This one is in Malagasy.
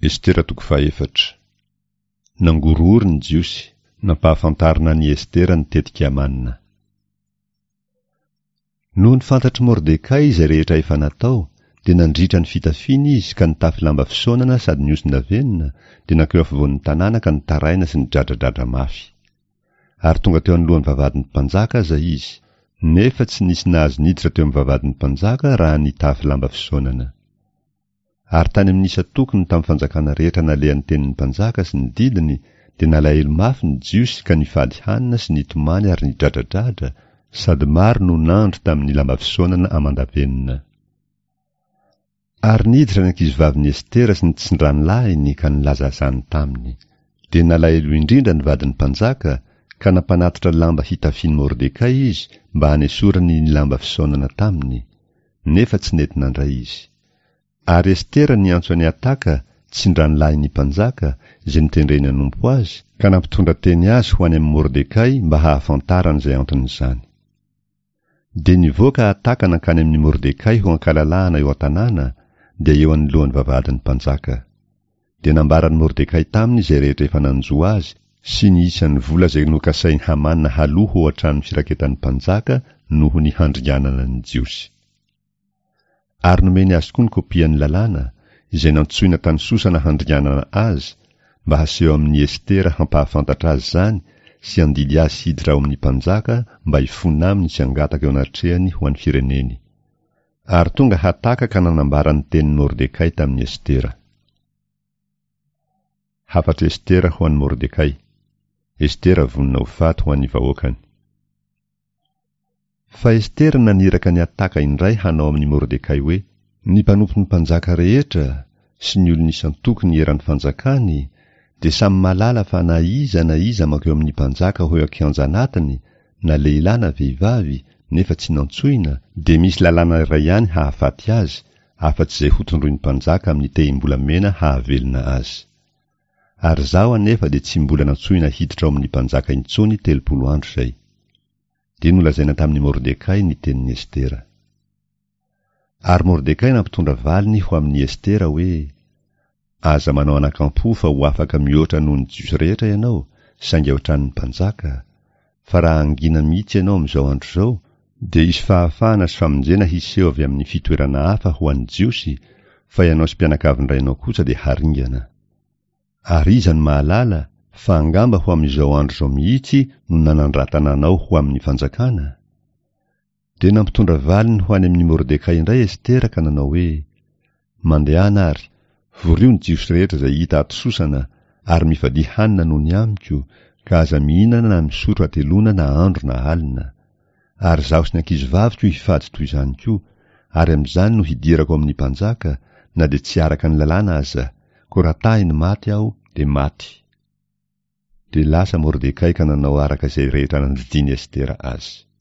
Estera toko fahefatra. Nangorohoro ny Jiosy, nampahafantarina an'i Estera ny tetik'i Hamana. Nony fantatr'i Mordekay izay rehetra efa natao, dia nandritra ny fitafiany izy ka nitafy lamba fisaonana sady nihoson-davenona, dia nankeo afovoan'ny tanàna ka nitaraina sy nidradradradra mafy. Ary tonga teo anoloan'ny vavahadin'ny mpanjaka aza izy, nefa tsy nisy nahazo niditra teo amin'ny vavahadin'ny mpanjaka raha nitafy lamba fisaonana. Ary tany amin'ny isan-tokony tamin'ny fanjakana rehetra nalehan'ny tenin'ny mpanjaka sy ny didiny, dia nalahelo mafy ny Jiosy ka nifady hanina sy nitomany ary nidradradradra, sady maro no nandro tamin'ny lamba fisaonana aman-davenona. Ary niditra ny ankizivavin'i Estera sy ny tsindranolahiny ka nilaza izany taminy. Dia nalahelo indrindra ny vadin'ny mpanjaka, ka nampanatitra lamba hitafian'i Mordekay izy mba hanesorany ny lamba fisaonana taminy, nefa tsy nety nandray izy. Ary Estera niantso an'i Hataka, tsindranolahin'ny mpanjaka, izay notendreny hanompo azy, ka nampitondra teny azy ho any amin'i Mordekay mba hahafantarany izay anton'izany. Dia nivoaka Hataka nankany amin'i Mordekay ho ankalalahana eo an-tanàna, dia eo anoloan'ny vavahadin'ny mpanjaka. Dia nambaran'i Mordekay taminy izay rehetra efa nanjo azy sy ny isan'ny vola izay nokasain'i Hamana haloa ho an-tranon'ny firaketan'ny mpanjaka noho ny handringanana ny Jiosy. Ary nomeny azy koa ny kopian'ny lalàna, izay nantsoina tany Sosana handringanana azy, mba haseho amin'i Estera hampahafantatra azy izany sy handidy azy hiditra ao amin'ny mpanjaka mba hifona aminy sy hangataka eo anatrehany ho an'ny fireneny. Ary tonga Hataka ka nanambara ny tenin'i Mordekay tamin'i Estera. Hafatr'i Estera ho an'i Mordekay. Estera vonona ho faty ho an'ny vahoakany. Fa Estera naniraka an'i Hataka indray hanao amin'i Mordekay hoe, Ny mpanompon'ny mpanjaka rehetra sy ny olona isan-tokony eran'ny fanjakany dia samy mahalala fa na iza na iza mankeo amin'ny mpanjaka ho eo an-kianja anatiny, na lehilahy na vehivavy, nefa tsy nantsoina, dia misy lalàna iray ihany hahafaty azy, afa-tsy izay hotondroin'ny mpanjaka amin'ny tehim-bolamena hahavelona azy. Ary izaho anefa dia tsy mbola nantsoina hiditra ao amin'ny mpanjaka intsony 30 andro izay. Dia nolazaina tamin'i Mordekay ny tenin'i Estera. Ary Mordekay nampitondra valiny ho amin'i Estera hoe, Aza manao anakampo fa ho afaka mihoatra noho ny Jiosy rehetra ianao, saingy ao an-tranon'ny mpanjaka, fa raha hangina mihitsy ianao amin'izao andro izao, dia hisy fahafahana sy famonjena hiseho avy amin'ny fitoerana hafa ho an'ny Jiosy, fa ianao sy mpianakavin-drainao kosa dia haringana. Ary iza no mahalala, fa angamba ho amin'izao andro izao mihitsy no nanandratana anao ho amin'ny fanjakana? Dia nampitondra valiny ho any amin'i Mordekay indray Estera ka nanao hoe, Mandehana àry, vorio ny Jiosy rehetra izay hita ato Sosana, ary mifadia hanina noho ny amiko, ka aza mihinana na misotro hateloana na andro na alina. Ary izaho sy ny ankizivaviko hifady toy izany koa, ary amin'izany no hidirako ao amin'ny mpanjaka, na dia tsy araka ny lalàna aza, koa raha tahiny maty aho, dia maty. Dia lasa Mordekay ka nanao araka izay rehetra nandidian'i Estera azy.